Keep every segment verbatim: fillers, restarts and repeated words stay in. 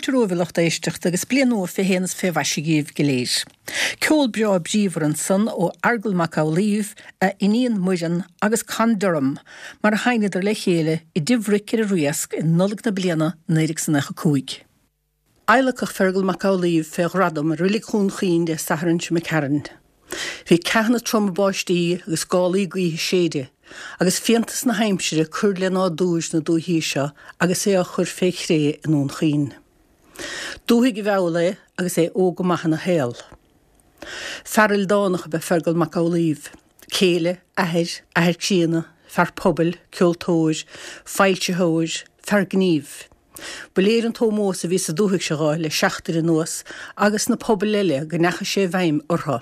Fáilte romhaibh a lucht éisteachta agus bliain nua fé shéan is fé mhaise dhíbh go léir. Ceol breá bríomhar ansan ó Fheargal Mac Amhlaoibh, a iníon Muireann agus Con Durham, mar a sheinneadar le chéile i dTigh Bhric ar an Riasc i Nollaig na bliana naoi déag is nócha cúig. Adhlacadh Feargal Mac Amhlaoibh fé ghradam i Reilig Dhún Chaoin Dé Sathairn seo imigh tharainn. Bhí ceathanna troma báistí agus gálaí gaoithe ag séideadh, agus fiántas na haimsire ag cur le nádúr na dúichí seo agus é á chur fé chré i nDún Chaoin. Dúthaigh a mheall é agus é óg go maith ina shaol. Fear ildánach ab ea Feargal Mac Amhlaoibh, céile, athair, athair críonna, fear pobail, ceoltóir, foilsitheoir, fear gnímh. Ba léir an t-ómós a bhí sa dúthaigh seo dhó le seachtain anuas agus sna pobail eile go ndeachaigh sé i bhfeidhm orthu.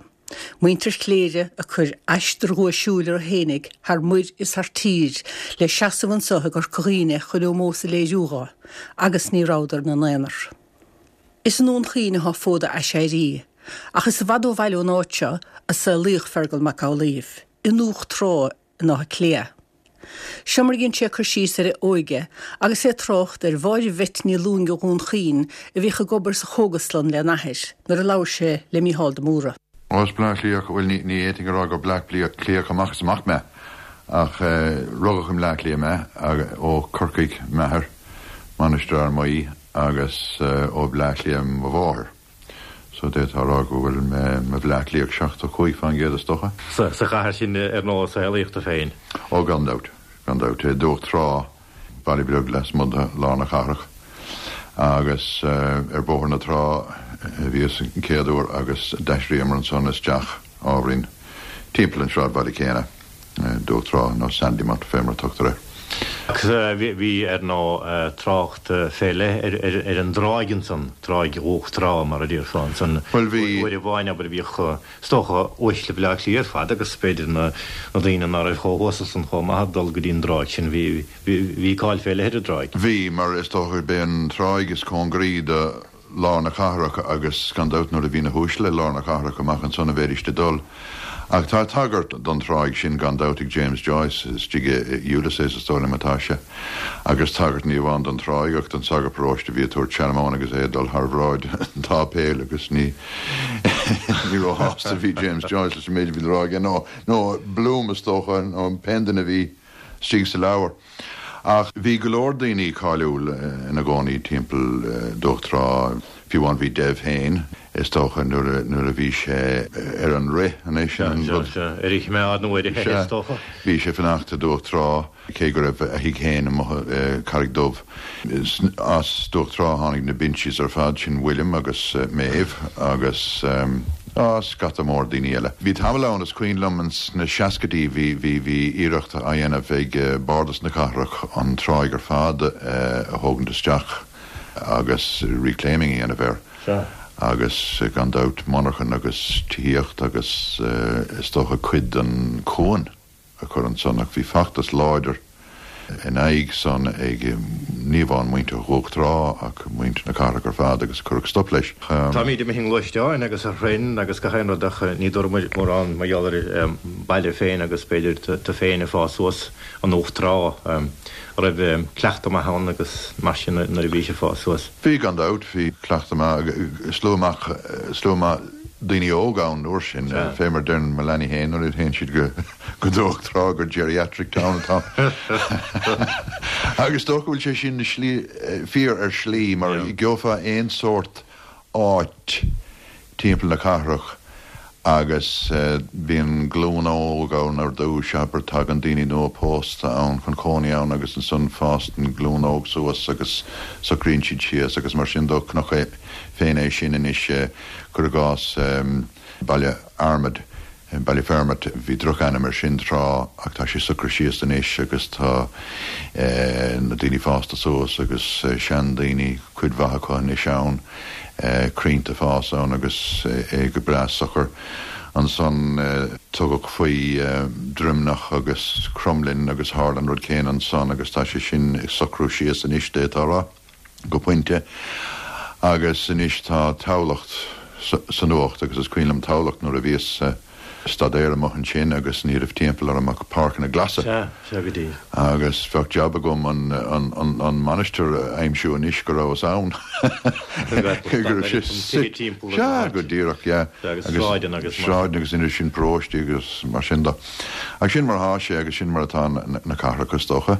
Muintir Chléire ag cur aistear dhuaisiúil orthu fhéinig thar muir is thar tír le seasamh anso i gCorca Dhuibhne chun ómós a léiriú dhó, agus ní rabhadar ina n-aonar. Is i nDún Chaoin atá fód a aiséirí, ach is i bhfad ó bhaile ón áit seo a saolaíodh Feargal Mac Amhlaoibh, i nDumhach Trá in Áth Cliath. Seo mar a dhein sé cur síos ar a óige agus é ag trácht ar Mháire Bheit Ní Lúing ó Dhún Chaoin a bhíodh ag obair sa chógaslann lena athair nuair a labhair sé le Mícheál de Mórdha. Ó, is Bleá Cliathach, bhuel ní fhéadfainn a rá gur Bleá Cliathach amach is amach mé ach rugadh i mBleá Cliath mé, ó Corcaigh m'athair, Mainistir Fhear Maí, agus ó Bhleá Cliath mo mháthair. So d'fhéadfá a rá go bhfuil mé i mo Bhleá Cliathach seachtó cúig fán gcéad is dócha. Sa chathair sin ar ndóigh a saolaíodh tú féin. Ó gan dabht, gan dabht. I Dumhach Trá, baile beag lasmuigh de lár na cathrach agus ar Bhóthar na Trá a bhíos an chéad uair agus d'aistríomar ansan isteach ábhairín timpeall an sráidbhaile céanna, Dumhach Trá nó Sandymount fé mar a tugtar air. Agus bhí ar ndóigh trácht fé leith ar an dtráigh ansan, Tráigh Dhumhach Trá mar a déarfá ansan. Bhuel bhí. Uair amháin abair bhíodh is dócha uaisle Bhaile Átha Cliath ar fad agus b'fhéidir na daoine ná raibh chomh huasal san chomh maith ag dul go dtí an dtráigh sin. Bhí bhí cáil fé leith ar an dtráigh. Bhí, mar is dócha gurb é an tráigh is cóngaraí do lár na cathrach agus gan dabht nuair a bhí na huaisle i lár na cathrach amach ansan a bheidís ag dul. Ach tá tagairt don tráigh sin gan dabht ag James Joyce istigh i Ulysses is dóigh liom atá sé. Agus tagairt ní amháin don tráigh ach don sagart paróiste a bhí ag tabhairt seanmóin agus é ag dul thar bhráid an tsáipéil agus ní ní róshásta a bhí James Joyce leis an méid a bhí le rá aige nó nó Bloom is dócha nó pé duine a bhí istigh sa leabhar. Ach bhí go leor daoine cáiliúil ina gcónaí timpeall Dumhach Trá, fiú amháin bhí Dev féin, is dócha, nuair a bhí sé ar an rith anois, an rud. Sea, ar a choimeád nó ar a theitheadh, is dócha. Bhí sé ag fanacht i Dumhach Trá, cé go raibh a thigh féin amuigh i Carraig Dubh. As Dumhach Trá a tháinig na Bincys ar fad, sin William agus Maeve agus. Á, scata mór daoine eile. Bhí tamall ann, is cuimhin liom, ins na seascaidí, bhí, bhí, bhí iarracht á dhéanamh ag Bardas na Cathrach an tráigh ar fad a thógaint isteach agus reclaiming a dhéanamh air. Sea. Agus gan dabht monarchan agus tithíocht agus is dócha cuid den chuan. a chur ansan ach bhí feachtas láidir in aghaidh san ag ní amháin muintir Dhumhach Trá ach muintir na cathrach ar fad agus cuireadh stop leis. Táimid imithe i ngluaisteáin agus ar thraein agus gach aon rud ach ní dúradh muid mórán mar gheall ar an baile féin agus b'fhéidir tú féin ag fás suas i nDumhach Trá. An raibh cleachtadh maith ann agus mar sin nuair a bhís ag fás suas? Bhí gan dabht, bhí cleachtadh maith, slua maith, slua maith daoine óga ann an uair sin, fé mar deireann mo leanaí féin nuair a théann siad go go Dumhach Trá gur geriatric town atá ann. Agus is dócha go bhfuil sé sin slí, fíor ar shlí mar gheofá aon sórt áit timpeall na cathrach agus bíonn glúin óg ann ar dtús, abair, tagann daoine nua pósta ann chun cónaí ann agus ansan fásann glúin óg suas agus socraíonn siad síos agus mar sin dó. Chonac féin é sin anois, cuir i gcás Baile Fhearmaid, Ballyfermot, bhí drochainm air sin tráth ach tá sé socraithe síos anois agus tá na daoine fásta suas agus seandaoine, cuid mhaith acu anois ann, crainnte ag fás ann agus é go breá socair. Ansan tugadh faoi Droimneach agus Cromghlinn agus tharla an rud céanna ansan agus tá sé sin ag socrú síos anois, d'fhéadfá a rá. go pointe agus anois tá Tamhlacht sa nuacht agus is cuimhin liom Tamhlacht nuair a bhíos staidéar amuigh ansin agus ní raibh timpeall orm ach páirceanna glasa. Sea, sea go díreach. Agus bheadh jab agam an, an, an, an mainistir a aimsiú anois go rabhas ann. Go raibh sé suite. Sea, go díreach, yeah. Agus sráideanna agus mar. Sráideanna agus idir sin paróistí agus mar sin de. Ach sin mar atá sé agus sin mar atá na cathracha is dócha.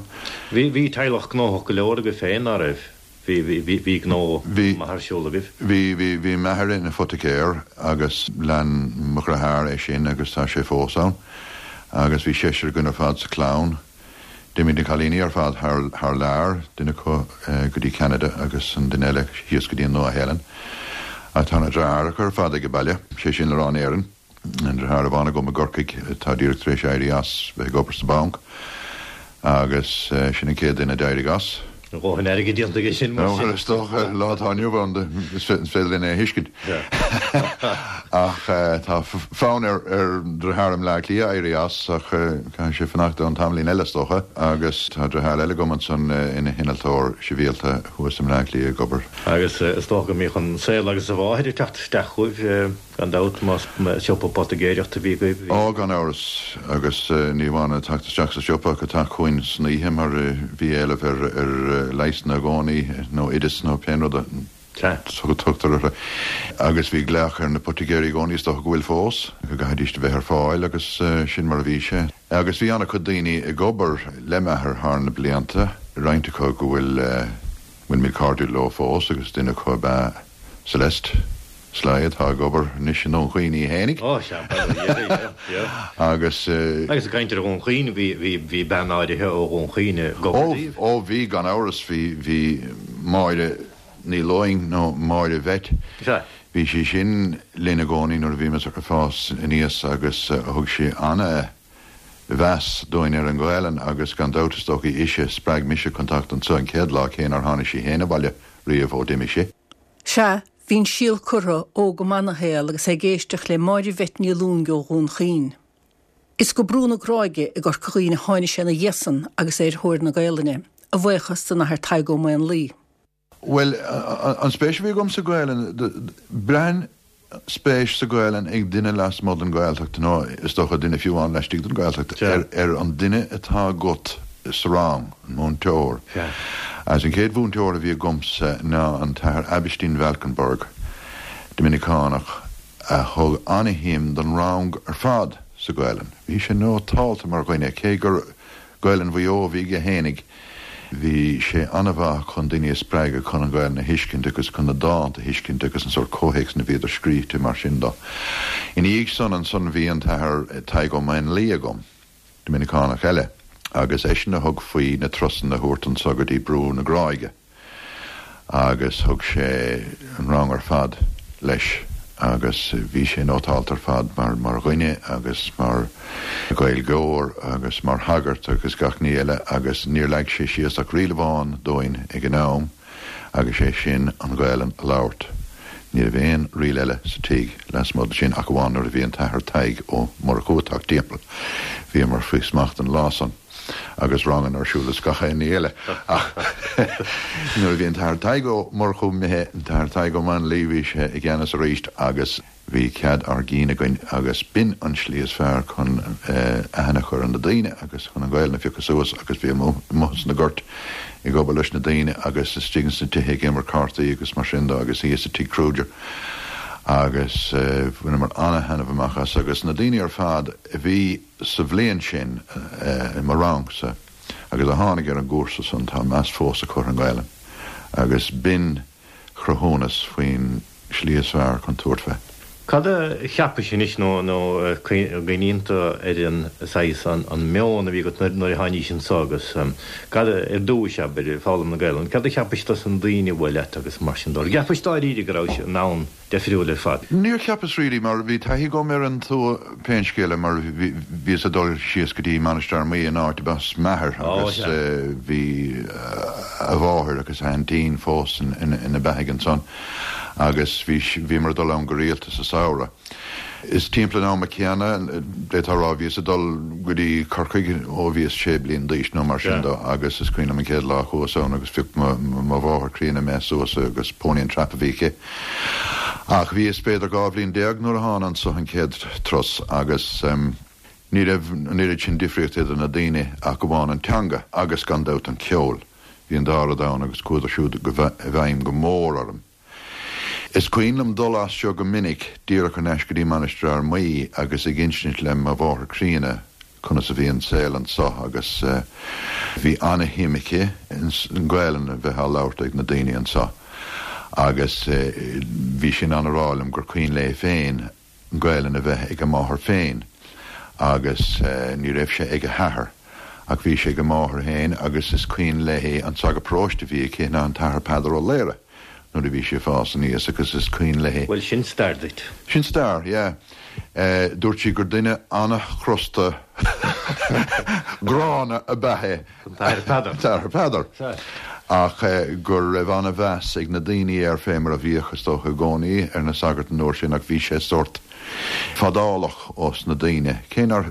Bhí, bhí teaghlach gnóthach go leor agaibh féin, ná raibh? Bhí, bhí, bhí, bhí gnó maith ar siúl agaibh? Bhí, bhí, bhí m'athair ina phoiticéir agus lean mo dheartháir é sin agus tá sé fós ann. Agus bhí seisear againn ar fad sa chlann. D'imigh na cailíní ar fad thar, thar lear, duine acu go dtí Ceanada agus an duine eile thíos go dtí an Nua-Shéalainn. Ach tá na deartháireacha ar fad ag baile, sé sin le rá in Éirinn. An deartháir amháin agam i gCorcaigh atá díreach tar éis éirí as bheith ag obair sa bhanc agus sin an chéad duine a d'éirigh as. A dhóthain airgid déanta aige sin mar sin. Bhuel, is dócha, lá atá inniu ann, is féidir linn é a thuiscint. Ach tá fonn ar dheartháir i mBleá Cliath éirí as ach caithfidh sé fanacht ann tamaillín eile is dócha. Agus tá deartháir eile agam ansan ina hinnealtóir sibhialta thuas i mBleá Cliath ag obair. Agus is dócha go mbíodh an saol agus a mháthair ag teacht isteach chugaibh. Gan dabht, más siopa poitigéireachta a bhí agaibh, bhí. Ó, gan amhras, agus ní amháin ag teacht isteach sa siopa ach ag teacht chugainn san oíche mar bhí éileamh ar leigheasanna i gcónaí, nó oideas nó pé rud a tugtar orthu. Agus bhí glaoch ar na poitigéirí i gcónaí, is dócha go bhfuil fós, go gcaithfidís a bheith ar fáil agus sin mar a bhí sé. Agus bhí an-chuid daoine ag obair le m'athair thar na blianta, roinnt acu go bhfuil, bhfuilimid cairdiúil leo fós agus duine acu ab ea Celeste. Sly atá ag obair anois i nDún Chaoin í fhéinig. Ó, sea, bail ó Dhia uirthi, yeah, yeah. Agus. Agus ag caint ar Dhún Chaoin, bhí, bhí, bhí bean áirithe ó Dhún Chaoin ag obair daoibh. Ó, ó, bhí, gan amhras, bhí, bhí Máire Ní Lúing nó Máire Bheit. Sea. Bhí sí sin linn i gcónaí nuair a bhíomar ag fás aníos agus thug sí ana mheas dúinn ar an Ghaelainn agus gan dabht is dócha ise a spreag mise chun teacht anso an chéad lá cé nár tháinig sí fhéin abhaile riamh ó d'imigh sí. Sea, bhí an síol curtha óg go maith ina shaol agus é ag éisteacht le Máire Bheit Ní Lúing ó Dhún Chaoin. Is go Brú na Gráige i gCorca Dhuibhne a tháinig sé ina dhiaidh san agus é ar thóir na Gaelainne, a bhuíochas don Athair Tadhg Ó Maonlaí. Bhuel, an spéis a bhí agam sa Ghaelainn, braitheann spéis sa Ghaelainn ag duine lasmuigh den Ghaeltacht, nó is dócha duine fiú amháin laistigh den Ghaeltacht, ar an duine atá agat sa rang, an múinteoir. Agus an chéad mhúinteoir a bhí agamsa ná an tAthair Aibhistín Valkenburg, Doiminiceánach, a thug ana-shuim don rang ar fad sa Ghaelainn. Bhí sé nótálta mar dhuine, cé gur Gaelainn Mhaigh Eo a bhí aige fhéinig, bhí sé ana-mhaith chun daoine a spreagadh chun an Ghaelainn a thuiscint agus chun na dánta a thuiscint agus an sórt comhthéacs ina bhíodar scríte mar sin de. Ina dhiaidh san ansan bhí an tAthair Tadhg Ó Maonlaí agam. Doiminiceánach eile, agus eisean a thug faoi na turasanna a thabhairt anso go dtí Brú na Gráige agus thug sé an rang ar fad leis agus bhí sé nótálta ar fad mar mar dhuine agus mar Ghaeilgeoir agus mar shagart agus gach ní eile agus níor leag sé síos ach riail amháin dúinn ag an am agus sé sin an Ghaelainn a labhairt. Ní raibh aon riail eile sa tigh lasmuigh de sin ach amháin nuair a bhí an tAthair Tadhg Ó Murchú ag teacht timpeall. Bhíomar faoi smacht an lá san agus ranganna ar siúl is gach aon ní eile. Ach nuair a bhí an tAthair Tadhg Ó Murchú imithe, an tAthair Tadhg Ó Maonlaí, bhí sé i gceannas arís agus bhí cead ár gcinn againn agus b'in an slí is fearr chun aithne a chur ar na daoine agus chun an Ghaelainn a phiocadh suas agus bhíomar amuigh sna goirt ag obair leis na daoine agus istigh ins na tithe ag imirt cártaí agus mar sin de agus thíos i Tigh Kruger agus bhaineamar ana-thaitneamh amach as agus na daoine ar fad a bhí sa bhliain sin i mo rangsa agus a tháinig ar an gcúrsa san tá meas fós acu ar an nGaelainn agus b'in cruthúnas faoin slí is fearr chun tabhairt fé. Cad a cheapais anois nó nó cuimhníonn tú ar an saghas an an meon a bhí agat nuair a tháinís anso agus cad a ar dtúis abair ag foghlaim na Gaelainne cad a cheapais dos na daoine a bhuail leat agus mar sin de. Ar cheapais dáiríre go rabhais i ndomhan deifriúil ar fad? Níor cheapas really mar bhí taithí agam ar an tuath pén scéal é mar bhí bhíos ag dul síos go dtí Mainistir Fhear Maí an áit ab as m'athair agus bhí a mháthair agus a haintín fós ina beathaigh ansan. agus bhí, bhíomar ag dul ann go rialta sa samhradh. Is timpeall an ama céanna, d'fhéadfá a rá, bhíos ag dul go dtí Corcaigh ó bhíos sé bliana d'aois nó mar sin de agus is cuimhin liom an chéad lá a chuas ann agus phioc mo, mo mháthair chríonna mé suas agus pony and trap a bhí aici Ach bhíos b'fhéidir dhá bhliain déag nuair a thána anso an chéad turas agus um, ní raibh an oiread sin difríocht idir na daoine ach amháin an teanga agus gan dabht an ceol. Bhí an dá rud ann agus chuadar siúd i bhfeidhm go mór orm. Is cuimhin liom dul as seo go minic díreach ar ais go dtí Mainistir Fhear Maí agus ag insint le mo mháthair críonna conas a bhí an saol anso agus uh, bhí an-shuim aici an Ghaelainn a bheith á labhairt ag na daoine anso. Agus uh, bhí sin an rálam gur cuimhin léi féin an Ghaelainn a bheith ag a máthair féin agus uh, ní raibh sé ag a hathair. Ach bhí sé ag a máthair féin agus is cuimhin léi an sagart paróiste a bhí aici ná an tAthair Peadar Ó Laoire nuair a bhí sí ag fás aníos agus is cuimhin léi. Well sin stair duit. Sin stair, yeah. Uh, dúirt sí gur duine an-chrosta gránna ab ea é. An Peadar. T-Athair Peadar. Ach uh, gur raibh an-mheas ag na daoine air fé mar a bhíodh is dócha i gcónaí ar na sagairt an uair sin ach bhí sé sórt fadálach os na daoine. Cé ná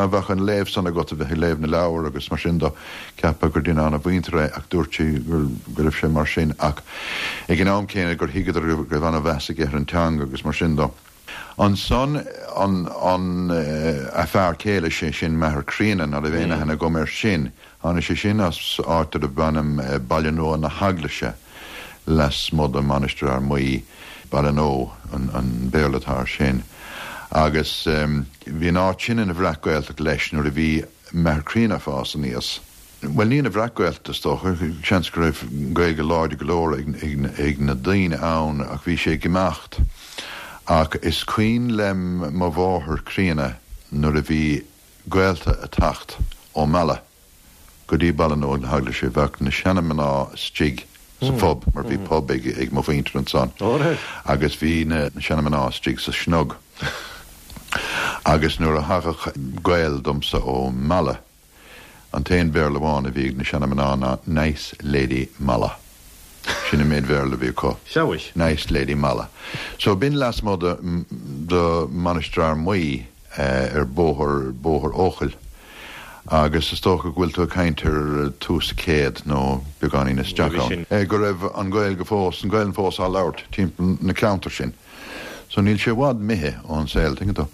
bheadh an léamh san agat a bheith ag léamh na leabhar agus mar sin do ceapadh gur duine an-mhuinteartha é ach dúirt sí gur go raibh sé mar sin ach ag an am céanna gur thuigeadar go raibh an-mheas aige ar an teanga agus mar sin do. Ansan an an uh, a fear céile sé sin m'athair críonna ná raibh aon aithne agam air sin. Tháinig sé sin as áit darb ainm uh, Baile Nua na hEaglaise lasmuigh de Mainistir Fhear Maí Ballynoe an, an Béarla atá air sin. Agus um, bhí an áit sin ina bhreac-Ghaeltacht leis nuair a bhí m'athair críonna ag fás aníos. Well ní ina bhreac-Ghaeltacht is dócha, seans go raibh Gaeilge láidir go leor ag, ag, ag na daoine ann ach bhí sé ag imeacht. Ach is cuimhin le mo mháthair críonna nuair a bhí gaolta ag teacht ó Mala go dtí Baile Nua na hEaglaise bheadh na seanmhná istigh sa phub mar bhí pub ag, ag mo mhuintir ansan. Agus bhí na seanmhná istigh sa snog. Agus nuair a thagadh gaol domsa ó Mala, an t-aon Bhéarla amháin a bhí ag na seanmhná ná Nice Lady Mala. Sin an méid Bhéarla a bhí acu. Seawis. Nice Lady Mala. So b'in lasmuigh de, de Mainistir Fhear Maí uh, ar bóthar bóthar Eochaill. Agus is dócha go bhfuil tú ag caint ar tús an chéid nó beagáinín isteach ann. Eh, go raibh an Ghaeilge fós, an Ghaelainn fós á labhairt timpeall na ceantar sin. So níl sé i bhfad imithe ón saol, tuigeann tú.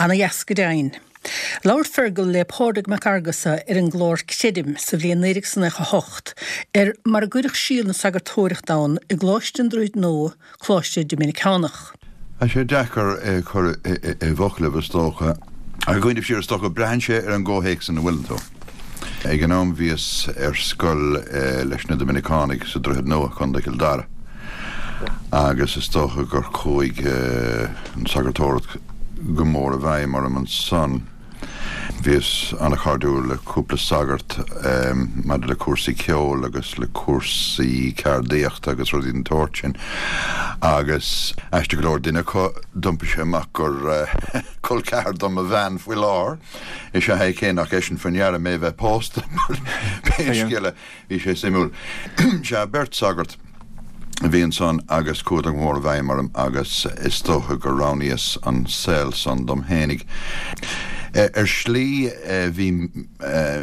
Ana dheas go deimhin. Labhair Fergal le Pádraig Mac Fhearghusa ar an gclár Creidim sa bhliain naoi déag nócha a hocht ar mar a gcuireadh síol na sagartóireachta ann i gColáiste an Droichid Nua, Coláiste Doiminiceánach. Tá sé deacair é a chur i bhfoclaibh is dócha. Ach ag cuimhneamh siar is dócha, braitheann sé ar an gcomhthéacs ina bhfuileann tú. Ag an am bhíos ar scoil leis na Doiminiceánaigh sa Droichead Nua, Contae Chill Dara, agus is dócha gur chuaigh an sagartóireacht go mór i bhfeidhm orm ansan. Bhíos an-chairdiúil le cúpla sagart maidir le cúrsaí ceoil agus le cúrsaí ceardaíochta agus rudaí den tsórt sin agus aisteach go leor duine acu d'iompaigh sé amach gur col ceathar do mo bhean faoi láthair is ea é cé nach eisean faoi ndeara mé bheith pósta pé scéal é bhí sé suimiúil. Sea, beirt sagart. a bhí ansan agus chuadar go mór i bhfeidhm orm agus is dócha gur roghnaíos an saol san dom fhéinig. Ar shlí bhí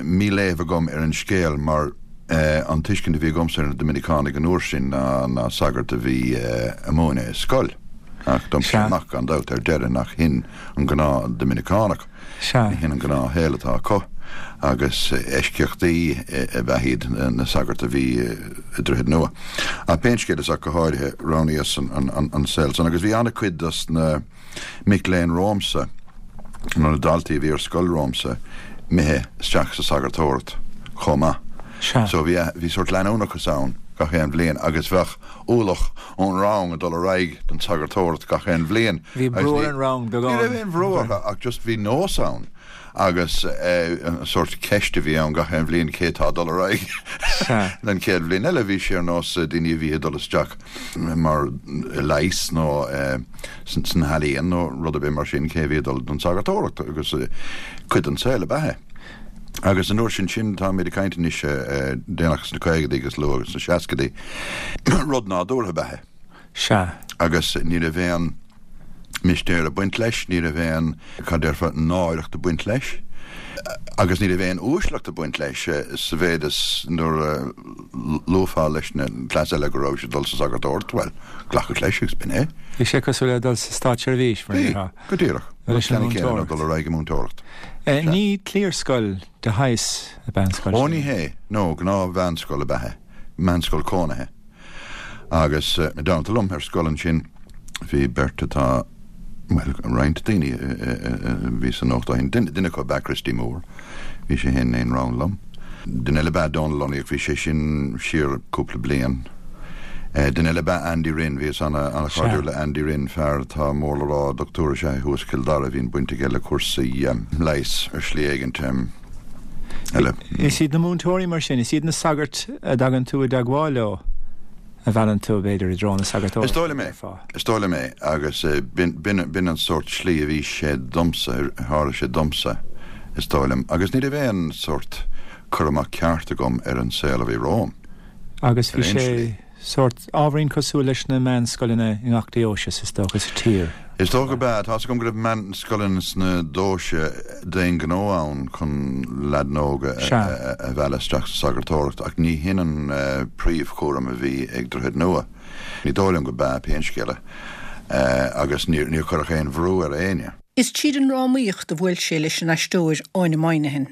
míléamh agam ar an scéal mar an tuiscint a bhí agamsa ar na Doiminiceánaigh an uair sin ná ná sagairt a bhí ag múineadh i scoil. Ach d'iompaigh sé amach gan dabht ar deireadh nach shin an gnáth Doiminiceánach. Ní hin an gnáthshaol atá acu agus eisceachtaí ab ea iad na sagairt a bhí i Droichead Nua. Ach pé scéal is ach go háirithe roghnaíos an saol san agus bhí an-chuid dos na mic léinn romhamsa, nó na daltaí a bhí ar scoil romhamsa, imithe isteach sa sagartóireacht chomh maith. So bhí bhí sórt leanúnachas ann gach aon bhliain agus bheadh ualach ón rang ag dul ar aghaidh don tsagartóireacht gach aon bhliain. Bhí brú ar an rang beagán. Ní raibh aon bhrú orthu ach just bhí nós ann agus an sórt ceist a bhí ann gach aon bhliain cé tá ag dul ar aghaidh don chéad bhliain eile. Bhí sé ar nós daoine a bhí ag dul isteach mar leigheas nó sna healaíona nó rud ar bith mar sin cé a bhí ag dul don tsagartóireacht agus cuid den saol ab ea é. Agus an uair sin sin, táimid ag caint anois déanach sna caogaidí agus luath sna seascaidí, rud nádúrtha ab ea é. Sea. Agus ní raibh aon mistéir ag baint leis, ní raibh aon, cad déarfá, náireacht ag baint leis, agus ní raibh aon uaisleacht ag baint leis, sa mhéid is nuair a luafá leis na cleas eile go raibh sé ag dul sa sagartóireacht, bhuel, glacadh leis agus b'in é. Bhí sé cosúil le dul sa státseirbhís, mar a Bhí, déarfá. go díreach. Leis an Ceann céanna múinteoireacht. dul ar aghaidh i múinteoireacht. Ní cliarscoil de shaghas ab ea an scoil Ó sin. ní hé, no, gnáth-mheánscoil ab ea é, meánscoil cónaithe. Agus i dteannta liom ar scoil ansin bhí beirt atá, bhuel, roinnt daoine a bhí sa nuacht ó shin. Duine acu ab ea Christy Moore, bhí sé féin in aon rang liom. Duine eile ab ea Dónal Lunny ach bhí sé sin siar cúpla bliain. Duine eile ab ea Andy Rynne, bhíos an-chairdiúil le Andy Rynne, fear atá mór le rá, dochtúir is ea é thuas i gCill Dara, bhíonn baint aige le cúrsaí leighis ar shlí éigint eile. Is iad na múinteoirí mar sin, is iad na sagairt a dtagann tú i dteagmháil leo a mheallann tú, b'fhéidir, i dtreo na Is sagartóireachta, dóigh liom é, déarfá. is dóigh liom é, agus b'in an sórt slí a bhí sé domsa, a tharla sé domsa, is dóigh liom, agus ní raibh aon sórt cur amach ceart agam ar an saol a bhí romham. Agus Ar bhí aon sé slí. sórt ábhairín cosúil leis na meánscoileanna i ngach deoise, is dócha, sa tír. Is dócha gurb ea. Tá's agam go raibh meánscoileanna sna deoisí d'aon ghnó ann chun leaideanna óga a mhealladh isteach sa sagartóireacht ach ní hin an príomhchúram a bhí ag Droichead Nua. Ní dóigh liom go b'ea, pé scéal é, agus níor cuireadh aon bhrú ar éinne. Is tríd an ndrámaíocht a bhuail sé leis an aisteoir Áine Moynihan.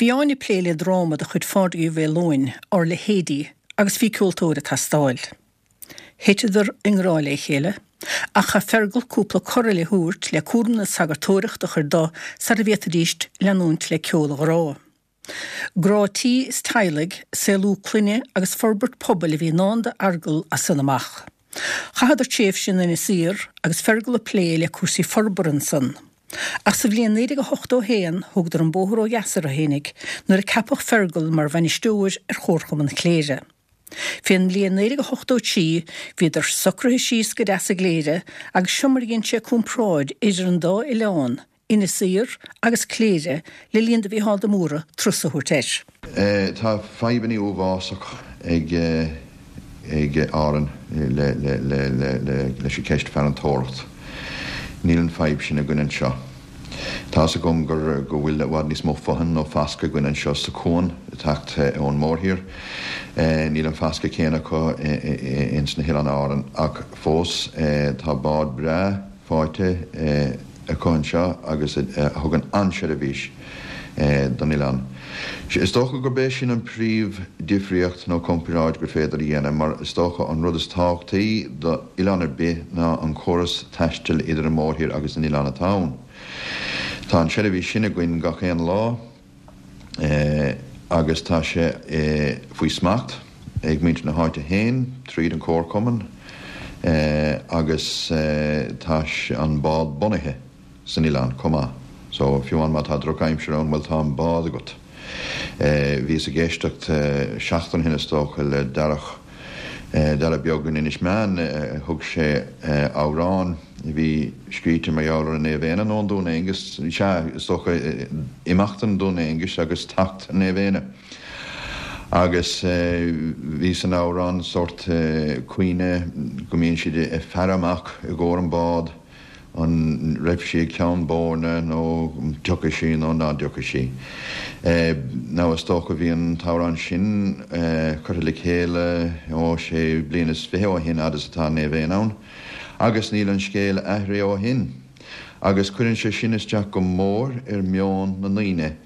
Bhí Áine ag plé le dráma de chuid Phádraig Uí Mhaoileoin, Ár Leithéidí, agus bhí ceoltóir ag teastáil. Thiteadar i ngrá le chéile, ach chaith Fergal cúpla cor eile a thabhairt le cúram na sagartóireachta a chur de sara bhféadfaidíst leanúint le ceol an ghrá. Grá tí is teaghlaigh, saolú clainne agus forbairt pobail a bhí i ndán d'Fheargal as san amach. Chaitheadar tréimhse in Inis Oírr agus Fergal ag plé le cúrsaí forbartha ansan. Ach sa bhliain naoi déag a hochtó a haon thógadar an bóthar ó dheas orthu fhéinig nuair a ceapadh Fergal mar bhainisteoir ar Chomharchumann Chléire. Fén mbliain naoi déag a hochtó trí bhíodar socraithe síos go deas i gCléire agus seo mar a dhein sé comparáid idir an dá oileán, Inis Oírr agus Cléire, le linn do Mhícheál de Mórdha turas a thabhairt air. Tá fadhbanna uafásach ag ag Árainn le le le le leis an cheist farantóireacht. Níl an fadhb sin againn anseo. Tá's agam gur go bhfuil i bhfad níos mó fothain nó fascadh againn anseo sa chuan ag teacht ón mórthír. Níl an fascadh céanna acu ins na hOileáin Árann ach fós tá bád breá faighte acu anseo agus a thugann an-seirbhís don oileán. Is dócha gurb é sin an príomh-difríocht nó comparáid gur féidir a dhéanamh mar is dócha an rud is tábhachtaí do oileán ar bith ná an córas taistil idir an mórthír agus an oileán atá ann. Tá an seirbhís sin againn gach aon lá agus tá sé faoi smacht ag muintir na háite féin tríd an comharchumann agus tá an bád bunaithe san oileán chomh maith. So fiú amháin má tá drochaimsir ann, bhuel tá an bád agat. Bhíos ag éisteacht seachtain ó shin is dócha le Darach, Darach Beag in Inis Meáin, thug sé amhrán a bhí scríte mar gheall ar an Naomh Éanna nó an Dún Aengus, sea, is dócha imeacht an Dún Aengus agus teacht an Naomh Éanna. Agus bhí san amhrán sórt caoineadh go mbíonn siad ag faire amach i gcomhair an bád, an raibh sí ag Ceann Boirne nó an dtiocfaidh sí nó ná dtiocfaidh sí. Now is dócha bhí an t-amhrán sin curtha le chéile ó sé bliana is fiche ó shin fhad is atá Naomh Éanna ann agus níl an scéal athraithe ó shin. Agus cuireann sé sin isteach go mór ar meon na ndaoine.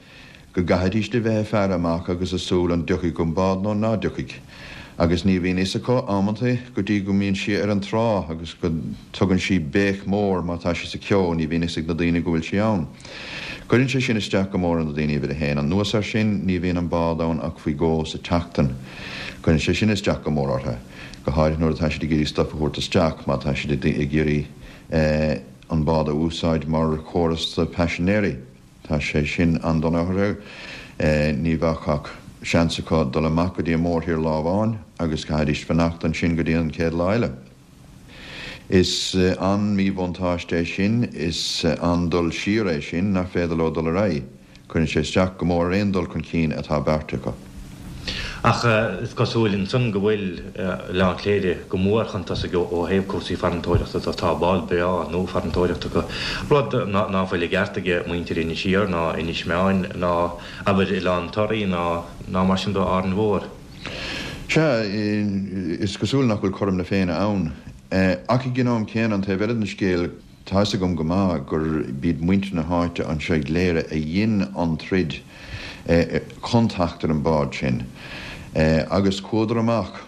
go gcaithfidís a bheith ag faire amach agus ag súil an dtiocfaidh an bád nó ná dtiocfaidh, agus ní bhíonn fhios acu amantaí go dtí go mbíonn sí ar an trá agus go dtugann sí béic mhór má tá sí sa cheo, ní bhíonn fhios ag na daoine go bhfuil sí ann. Cuireann sé sin isteach go mór ar na daoine uimhir a haon. Anuas air sin, ní bhíonn an bád ann ach faoi dhó sa tseachtain. Cuireann sé sin isteach go mór orthu, go háirithe nuair atá siad ag iarraidh stuif a thabhairt isteach, má tá siad ag iarraidh an bád a úsáid mar chóras do paisinéirí. Tá sé sin an-dona orthu. Ní bheadh ach seans acu dul amach go dtí an mórthír lá amháin agus caithfidís fanacht ansin go dtí an chéad lá eile. Is an-mhíbhuntáiste é sin, is an-dul siar é sin nach féidir leo dul ar aghaidh. Cuireann sé isteach go mór ar aon dul chun cinn atá beartaithe acu. Ach is cosúil ansan go bhfuil Oileán Chléire go mór chun tosaigh ó thaobh cúrsaí farantóireachta de. Tá bád breá nua farantóireachta acu, rud ná fuil i gceart ag muintir Inis Oírr ná Inis Meáin ná abair Oileán Toraí ná ná mar sin de Árainn Mhór. Sea, is cosúil nach bhfuil cothrom na Féinne ann. Ach ag an am céanna, an taobh eile den scéal, Tá fhios agam go maith gur b'iad muintir na háite anseo i gCléire a dhein an troid chun teacht ar an bád sin. Agus chuadar amach,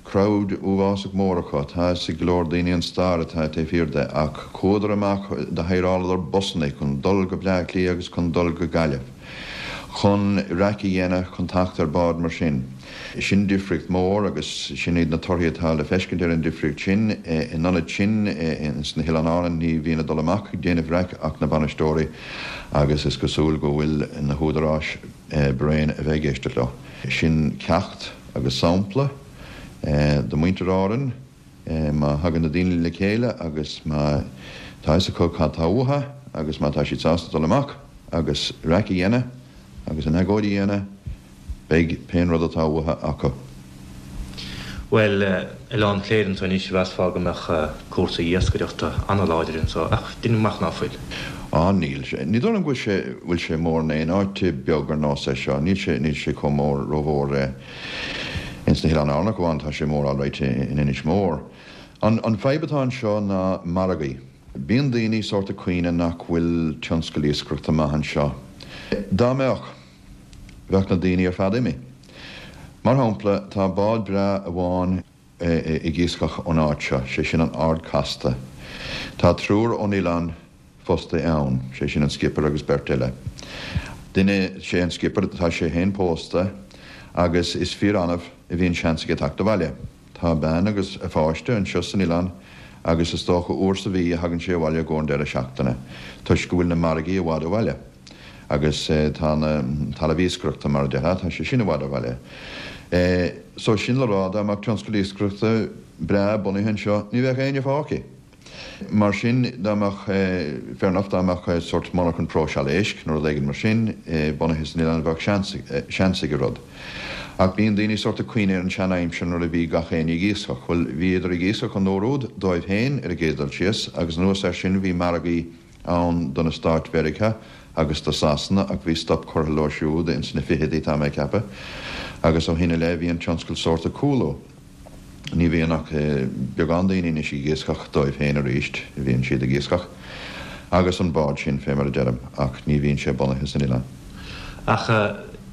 crowd uafásach mór acu, tá fhios ag go leor daoine an stair atá taobh thiar de, ach chuadar amach, do hireáladar busanna chun dul go Bleá Cliath agus chun dul go Gaillimh chun raic a dhéanamh chun teacht ar bád mar sin. Sin difríocht mhór agus sin iad na torthaí atá le feiscint ar an difríocht sin. In ionad sin, ins na hOileáin Árann, ní bhíonn ag dul amach ag déanamh raic ach na bainisteoirí agus is cosúil go bhfuil na húdaráis bréan a bheith ag éisteacht leo. Sin ceacht agus sampla do mhuintir Árann. Má thagann na daoine le chéile agus má tá fhios acu cad tá uathu agus má tá siad sásta dul amach agus raic a dhéanamh agus an agóid a dhéanamh, beidh pén rud atá uathu acu. Bhuel, Oileán Chléire anso anois, mheasfá go mbeadh cúrsaí iascaireachta an-láidir anso, ach deinim amach ná fuil. Á, níl sé. Ní dóigh liom go bhfuil sé, bhfuil sé mór in aon áit beag ar nós é seo. Níl sé, níl sé chomh mór, rómhór ins na hOileáin Árann ach amháin tá sé mór alright in Inis Mór. An, an fadhb atá anseo ná margaí. Bíonn daoine sórt ag caoineadh nach bhfuil tionscal iascaireachta maith anseo. Dá mbeadh, bheadh na daoine ar fad imithe. Mar shampla, tá bád breá amháin ag iascach ón áit seo, sé sin an Ard Casta. Tá triúr ón oileán fostaithe ann, sé sin an skipper agus beirt eile. Duine, sé an skipper, tá sé féin pósta agus is fíor-annamh a bhíonn seans aige teacht abhaile. Tá a bean agus a pháiste anseo san oileán agus is dócha uair sa mhí a thagann sé abhaile i gcomhair an deireadh seachtaine toisc go bhfuil na margaí i bhfad ó bhaile agus tá an talamh iascaireachta mar a déarfá, tá sé sin i bhfad ó bhaile. So sin le rá dá mbeadh tionscal iascaireachta breá bunaithe anseo ní bheadh éinne fágtha. Mar sin, dá mbeadh, fair enough, dá mbeadh sórt monarchan próiseála éisc nó rud éigin mar sin bunaithe san oileán bheadh seans, seans ag an rud. Ach bíonn daoine sórt ag cuimhneamh ar an sean-aimsir nuair a bhí gach éinne ag iascach. Bhuel, bhíodar ag iascach an uair úd dóibh féin ar an gcéad dul síos agus anuas air sin bhí margaí ann do na Stáit Mheiriceá agus do Sasana ach bhí stop curtha leo siúd ins na fichidí, tá mé ag ceapadh, agus ó shin i leith bhí an tionscal sórt ag cúlú. Ní bhíonn ach beagán daoine anois ag iascach dóibh féin arís, bhíonn siad ag iascach Agus an bád sin fé mar a deirim, ach ní bhíonn sé bunaithe san oileán. Ach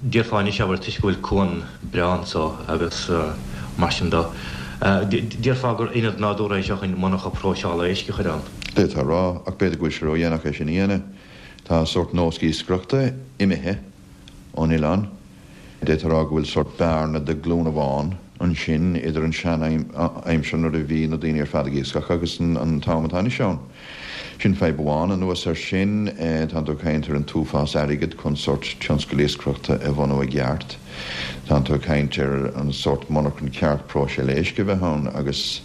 déarfá anois abair toisc go bhfuil cuan breá anso agus mar sin de, déarfá gur ionad nádúrtha é seo chun monarcha próiseála éisc a chur ann. D'fhéadfá a rá, ach b'fhéidir go bhfuil sé ródhéanach é sin a dhéanamh. Tá sórt nós iascaireachta imithe ón oileán. D'fhéadfá a rá go bhfuil sórt bearna de ghlúin amháin ansin idir an sean-aimsir nuair a bhí na daoine ar fad ag iascach agus an t-am atá anois ann. Sin fadhb amháin. Anuas air sin, tánn tú ag caint ar an t-uafás airgid chun sórt tionscal iascaireachta a bhunú i gceart. Tánn tú ag caint ar an sórt monarchan ceart próiseáil éisc a bheith ann agus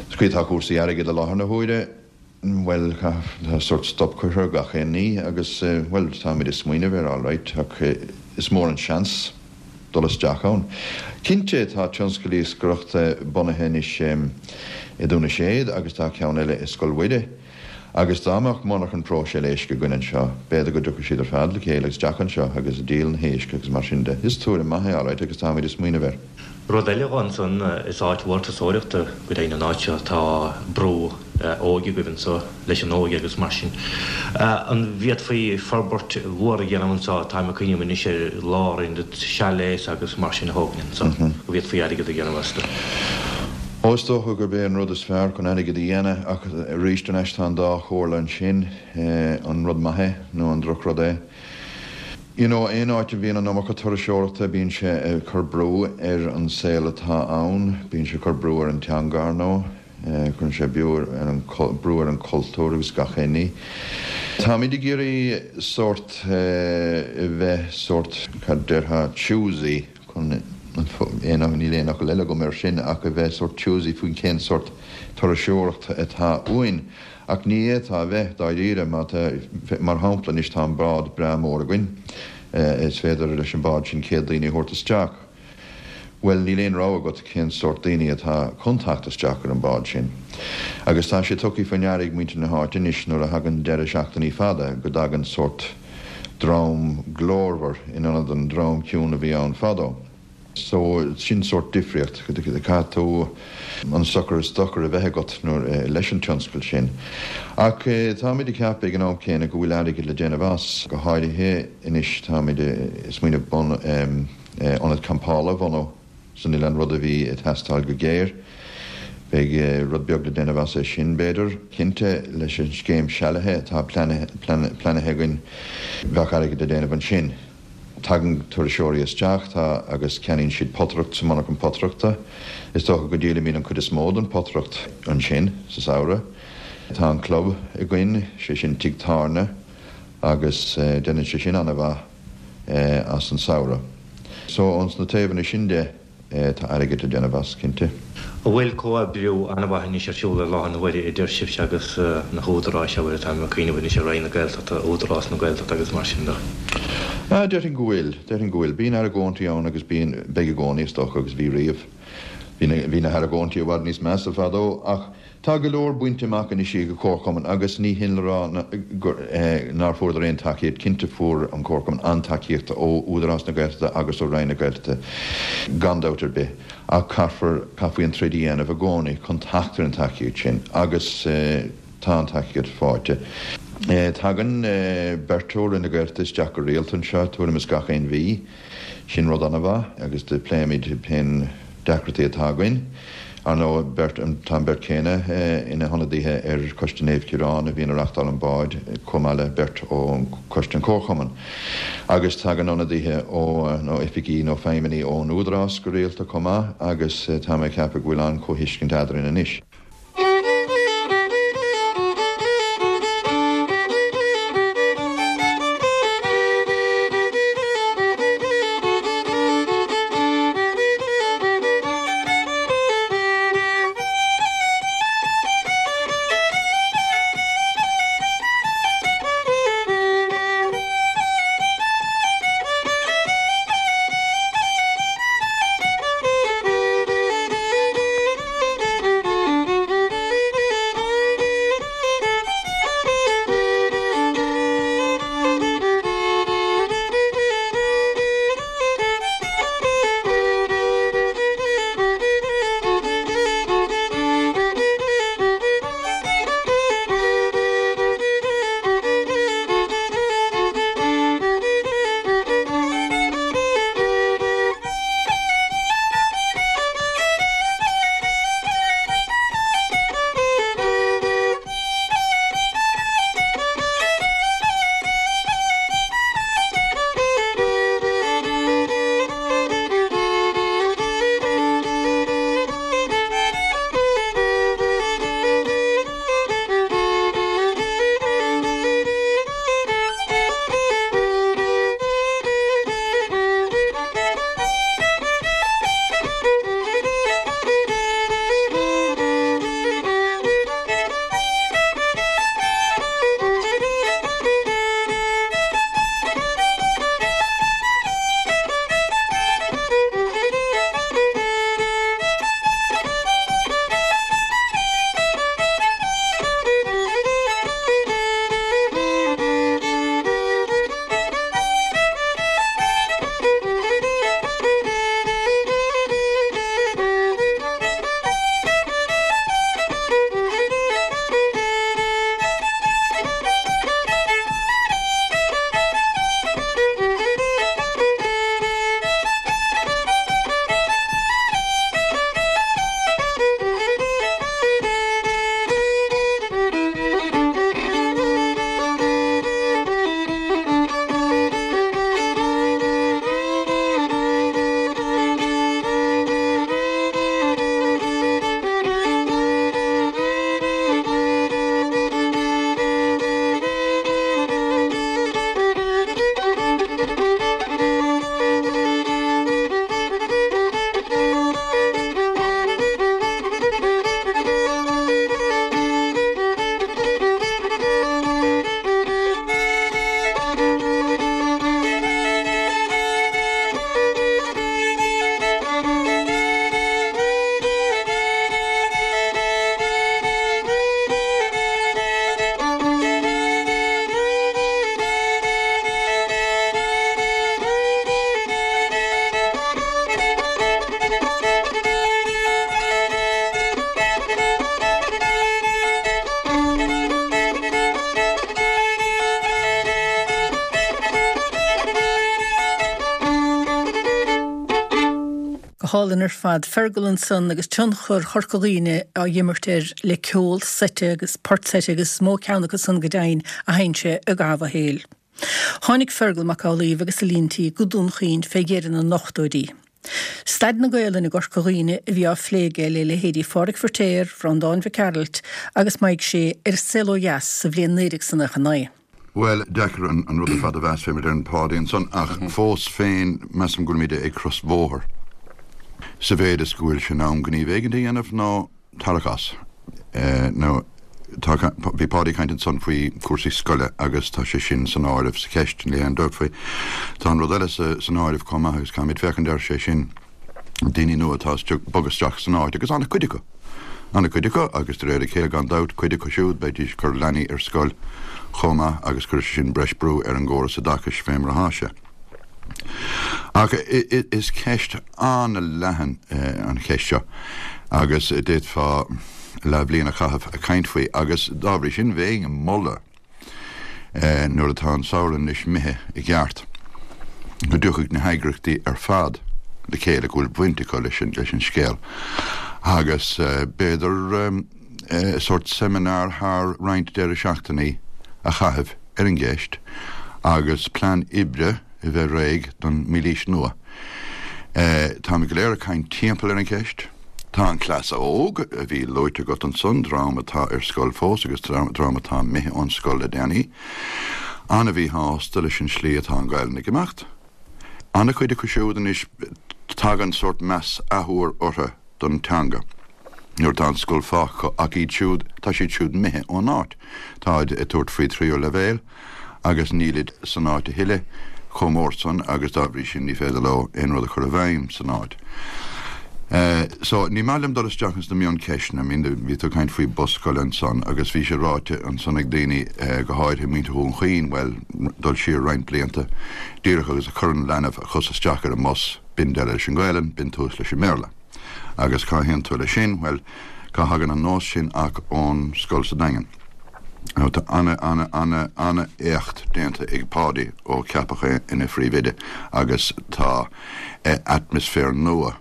sa chaoi atá cúrsaí airgid i láthair na huaire, bhuel, tá sórt stop curtha ar gach aon ní agus, bhuel, táimid ag smaoineamh air alright ach is mór an seans dul isteach ann. Cinnte, tá tionscal iascaireachta bunaithe anois i Dún na Séad agus tá ceann eile i Scoil Mhuire. Agus dá mbeadh monarchan próiseáil éisc againn anseo, b'fhéidir go dtiocfadh siad ar fad le chéile isteach anseo agus ag díol na héisc agus mar sin de. Is tuairim maith é alright agus táimid ag smaoineamh air. Rud eile dhe ansan, is áit mhór turasóireachta go deimhin an áit seo, tá brú óige agaibh anso leis an óige agus mar sin. An bhféadfaí forbairt mhór a dhéanamh anso, táim ag cuimhneamh anois ar lárionad chalets agus mar sin a thógaint anso, go bhféadfaí airgead a dhéanamh astu? Ó, is dócha gurb é an rud is fearr chun airgead a dhéanamh, ach arís thar n-ais tá an dá chomhairle ansin, an rud maith é nó an drochrud é. You know, aon áit a bhíonn an iomarca turasóireachta, bíonn sé ag cur brú ar an saol atá ann, bíonn sé ag cur brú ar an teanga, ar ndóigh, cuireann sé brú ar an, brú ar an chultúr agus gach aon ní. Táimid ag iarraidh sórt a bheith sórt, cad déarfá, choosy chun aon, níl aon fhocal eile agam air sin, ach a bheith sórt choosy faoin cén sórt turasóireacht atá uainn. Ach ní fhéadfá a bheith, dáiríre, má tá, mar shampla anois tá an bád breá mór againn, is féidir leis an bád sin céad daoine a thabhairt isteach. Bhuel, níl aon rogha agat cén sórt daoine atá chun teacht isteach ar an bád sin. Agus tá sé tugtha faoi ndeara ag muintir na háite anois nuair a thagann deireadh seachtainí fada go dtagann sórt dream glórmhar in ionad an dream ciúin a bhí ann fadó. So, sin sórt difríocht. Caithfidh tú an sochar is dochar a bheith agat nuair leis an tionscal sin. Ach táimid ag ceapadh ag an am céanna go bhfuil airgead le déanamh as, go háirithe anois táimid ag smaoineamh bun ionad campála a bhunú san oileán, rud a bhí ag teastáil go géar. Beidh rud beag le déanamh as é sin, b'fhéidir. Cinnte, leis an scéim sealaithe atá pleanáilte againn, bheadh airgead le déanamh ansin. Tagann turasóirí isteach, tá, agus ceannaíonn siad potaireacht sa monarchan potaireachta. Is dócha go ndíolaimid an chuid is mó den potaireacht ansin sa samhradh. Tá an club againn, sé sin Tigh Tábhairne, agus déanann sé sin an-mhaith as an samhradh. So, ós na taobhanna sin de, tá airgead le déanamh as, cinnte. An bhfuil comhoibriú an-mhaith anois ar siúl i láthair na huaire idir sibhse agus na húdaráis, abair, táim ag cuimhneamh anois ar Roinn na Gaeltachta, Údarás na Gaeltachta agus mar sin de? Ah, déarfainn go bhfuil, déarfainn go bhfuil. Bíonn argóintí ann agus bíonn, beidh i gcónaí is dócha agus bhí riamh. Bhí na, bhí na hargóintí i bhfad níos measa fadó ach tá go leor bainte amach anois ag an Chomharchumann agus ní hin le rá gur, nár fuaireadar aon tacaíocht. Cinnte fuair an Comharchumann an-tacaíocht ó Údarás na Gaeltachta agus ó Roinn na Gaeltachta gan dabht ar bith ach caithfear, caithfí an troid a dhéanamh i gcónaí chun teacht ar an tacaíocht sin agus tá an tacaíocht faighte. Tagann beirt ó Roinn na Gaeltachta isteach go rialta anseo tuairim is gach aon mhí. Sin rud an-mhaith agus do pléimid pén deacrachtaí atá againn. Ar ndóigh, beirt, tá an beirt chéanna ina hionadaithe ar Choiste Naomh Ciarán a bhíonn ag reachtáil an báid, chomh maith le beirt ó Choiste an Chomharchumainn. Agus tagann ionadaithe ó, nó oifigí nó feidhmeannaigh ón Údarás go rialta chomh maith agus tá mé ag ceapadh go bhfuil an-chomhthuiscint eadrainn anois. hálainn ar fad. Fergal ansan agus tionchar Chorca Dhuibhne á imirt air le ceol seite agus port seite agus is mó ceann acu san go deimhin a sheinn sé i gcaitheamh a shaoil. Tháinig Fergal Mac Amhlaoibh agus a líon tí go Dún Chaoin fé dheireadh na n-ochtóidí. Staid na Gaelainne i gCorca Dhuibhne a bhí á phlé aige le leithéidí Phádraig Feiritéar, Bhreandáin Mhic Gearailt agus Maidhc Sé ar An Saol Ó Dheas sa bhliain naoi déag is nócha naoi. Bhuel, deacair an rud ar fad a mheas fé mar a deireann Páidí ansan, ach fós féin measaim go bhfuilimid ag crosbhóthar sa mhéid is go bhfuil sé in am gníomh éigin a dhéanamh nó tarrac as. Nó tá, bhí Páidí ag caint ansan faoi cúrsaí scoile agus tá sé sin san áireamh sa cheist, níl aon dabht faoi. Tá an rud eile san áireamh chomh maith agus caithfimid féachaint air, sé sin daoine nua atá ag bogadh isteach san áit agus an-chuid acu. An-chuid acu agus de réir a chéile gan dabht, cuid acu siúd beidís ag cur leanaí ar scoil chomh maith agus cuirfidh sé sin breis brú ar an gcóras oideachais fé mar atá sé. Ach is ceist an-leathan an cheist seo agus d'fhéadfá leathbhliain a chaitheamh ag caint faoi agus dá bhrí sin bheinn ag moladh nuair atá an samhradh anois imithe i gceart go dtiocfadh na heagraíochtaí ar fad le chéile go bhfuil baint acu leis an scéal agus b'fhéidir sórt seimineár thar roinnt deireadh seachtainí a chaitheamh ar an gceist agus plean oibre a bheith réidh don mílaois nua. Táimid go léir ag caint timpeall ar an cheist. Tá an cleas óg a bhí luaite agat ansan, dream atá ar scoil fós agus dream atá imithe ón scoil le déanaí, an-mhíshásta leis an slí atá an Ghaelainn ag imeacht. An-chuid acu siúd anois, tagann sórt meas athuair orthu don teanga nuair atá an scoil fágtha acu ach iad siúd, tá siad siúd imithe ón áit. Táid ag tabhairt faoi tríú leibhéal agus nílid san áit a thuilleadh chomh mór san agus dá bhrí sin ní féidir leo aon rud a chur i bhfeidhm san áit. So, ní maith liom dul isteach ins na mioncheisteanna, I mean, bhí tú ag caint faoi bus scoile ansan agus bhí sé ráite ansan ag daoine, go háirithe muintir Dhún Chaoin, bhuel, dul siar roinnt blianta, díreach agus a chuireann leanbh a chos isteach ar an mbus, b'in deireadh leis an Ghaelainn, b'in tús leis an mBéarla. Agus cá théann tú leis sin? Bhuel, cá thagann an nós sin ach ón scoil sa Daingean. Now, tá ana, ana, ana, ana éacht déanta ag Páidí ó ceapadh é ina phríomhoide agus tá atmaisféar nua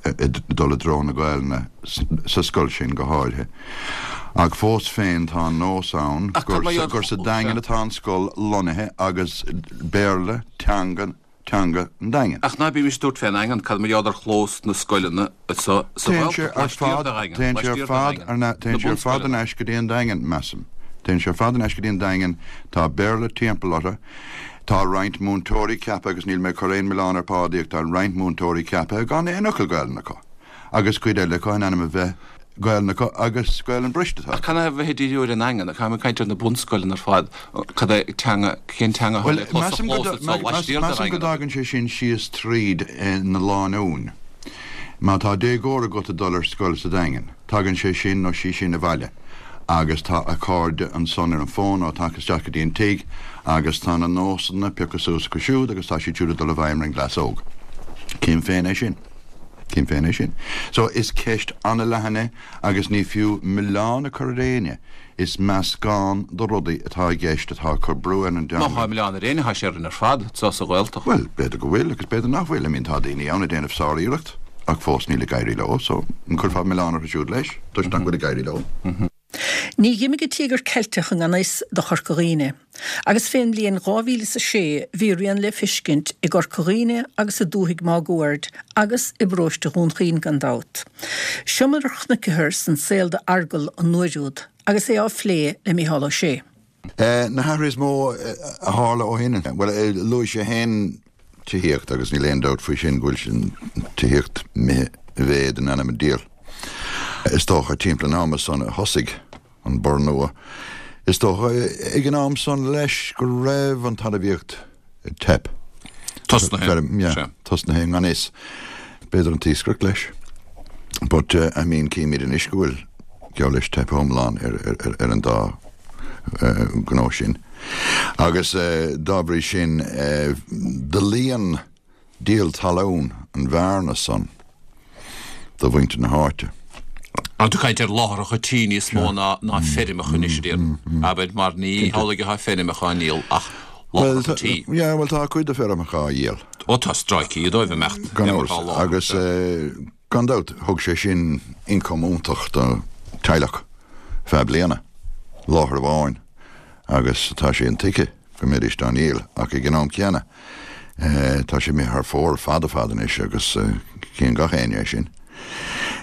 ag dul i dtreo na Gaelainne sa scoil sin go háirithe. Ach fós féin tá an nós ann gur sa Daingean atá an scoil lonnaithe agus Béarla teanga teanga an Daingin. Ach ná bímis ag tabhairt fén nDaingean, cad mar gheall ar chlós na scoileanna sa Ghaeltacht laistiar de Dhaingean? Téann sé ar fad, téann sé ar fad thar n-ais go dtí an Daingean, measaim. Téann sé ar fad thar n-ais go dtí an Daingean, tá Béarla timpeall orthu, tá roinnt múinteoirí ceaptha, agus níl mé ag cur aon mhilleán ar Pháidí ach tá roinnt múinteoirí ceaptha gan aon fhocal Gaelainne acu, agus cuid eile acu in ainm a bheith Gaelainn acu agus Gaelainn briste atá Ach canathaobh a bheith ag díriú ar an nDaingean? Táim ag caint ar na bunscoileanna ar fad. Cad é teanga, cén teanga atá le clos sa chlós atá laistiar de Measaim go dtagann sé sin síos tríd na lánúin. Má tá déagóir agat ag dul ar scoil sa Daingean, tagann sé sin nó sí sin abhaile agus tá a cairde ansan ar an bhfón nó tagtha isteach go dtí an tigh agus tá na nósanna pioctha suas acu siúd agus tá siad siúd ag dul i bhfeidhm ar an gcleas óg. Cím féin é sin. Cím féin é sin. So, is ceist an-leathan é agus ní fiú milleán a chur ar éinne, is meascán de rudaí atá i gceist atá ag cur brú ar an Má dteanga. tá milleán ar éinne, tá sé orainn ar fad, anseo sa Ghaeltacht. Bhuel, b'fhéidir go bhfuil agus b'fhéidir nach bhfuil. I mean, tá daoine ann ag déanamh sár-iarracht ach fós níl ag éirí leo, so an gcuirfeá milleán orthu siúd leis toisc nach bhfuil ag éirí leo? Ní dh'imigh an Tíogar Ceilteach i ngan fhios do Chorca Dhuibhne, agus fén mbliain dhá mhíle is a sé bhí a rian le fiscint i gCorca Dhuibhne agus i dúthaigh máguaird agus i bparóiste Dhún Chaoin gan dabht. Seo mar a chonaiceathar san saol d'Fheargal an uair úd agus é á phlé le Mícheál Ó Sé. Na hathruithe is mó a tharla ó shin, bhuel, luaigh sé féin tithíocht agus níl aon dabht faoi sin go bhfuil an tithíocht imithe i mhéad in ainm an diabhail. Is dócha timpeall an ama san a thosaigh an borradh nua. Is dócha ag an am san leis go raibh an talmhaíocht ag teip. Tosnaithe. Tosnaithe i ngan fhios. B'fhéidir an t-iascaireacht leis. But I mean címid anois go bhfuil geall leis teip iomlán ar an dá ghnó sin. Agus dá bhrí sin do líon díol talún an bhearna san do mhuintir na háite. Tá tú ag caint ar láithreacha tí níos mó ná ná feirmeacha anois a déarfainn, abair, mar ní hamhlaidh atá feirmeacha á ndíol ach láithreacha tí. Yeah, bhuel tá cuid de feirmeacha á dhíol. Ó tá stráicí dóibh imeacht. Gan amhras, agus gan dabht thug sé sin ioncam iontach do teaghlach feadh bliana, láthair amháin, agus tá sé intuigthe go mbeidís á ndíol, ach ag an am céanna tá sé imithe thar fóir fada fada anois agus cíonn gach éinne é sin.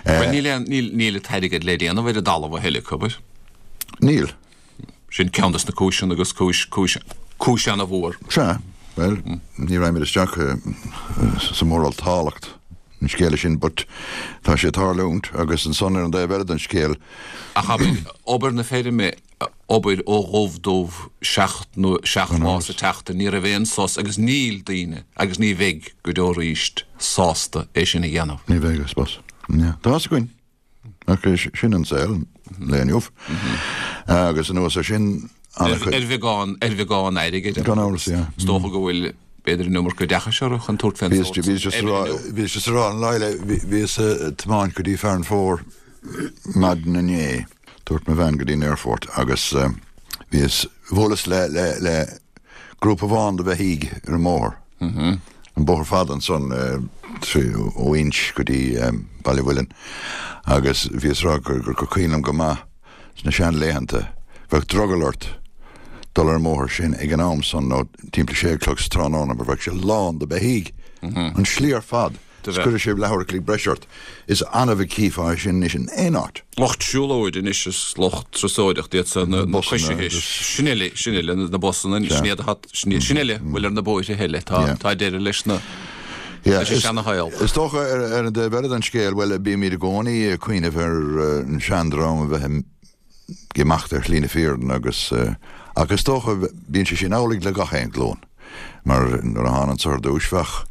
Bhuel níl aon, níl, níl an t-airgead le déanamh ar an dtalamh a thuilleadh, abair? Níl. Sin ceann des na cúiseanna agus cúis, cúis, cúis ana-mhór. Sea, bhuel, ní raghaimid isteach sa mhoráltacht an scéala sin, but tá sé ag tarlúint agus ansan ar an dtaobh eile den scéal. Ach abair, obair na feirme, obair ó dhubh dubh seacht nó seacht lá sa tseachtain, ní raibh aon sos agus níl daoine agus ní bheidh go deo arís sásta é sin a dhéanamh. Ní bheidh, I suppose. Yeah. Tá fhios againn. Ach sin an saol lae inniu. Agus anuas ar sin, an-chuid. Ar bheagán, ar bheagán airgid. Gan amhras, yeah. Is dócha go bhfuil b'fhéidir an iomarca oideachais orthu chun tabhairt fén sórt sin. Bhíos just a rá, bhíos just a rá an lá eile, bhíos ag tiomáint go dtí Fearann Fómhair maidin inné, tabhairt mo bhean go dtí an aerfort agus bhíos, bhuaileas le, le, le grúpa amháin de bheithígh ar an mbóthar. An bóthar fada ansan trí, ó Inse go dtí Baile Mhuilinn agus bhíos a rá gur, gur cuimhin liom go maith sna seanlaethanta, bheadh drogall ort dul ar an mbóthar sin ag an am san nó timpeall sé a chlog sa tráthnóna mar bheadh sé lán de beithígh. An slí ar fad. Is cuireadh sé leathuair a chloig breise ort. Is annamh a chífeá é sin anois in aon áit. Lucht siúlóide anois is lucht turasóireachta iad san na coisithe. Sin uile, sin uile, na busanna, sin iad atá, sin uile a bhfuil ar na bóithre eile. Tá, tá deireadh leis na, leis an seana-shaol. Is dócha ar an dtaobh eile den scéal, bhuel, bímid i gcónaí ag cuimhneamh ar an seandream a bheith ag imeacht ar shlí na fírinne agus ach is dócha bíonn sé sin amhlaidh le gach aon ghlúin mar nuair a thána anso ar dtúis bheadh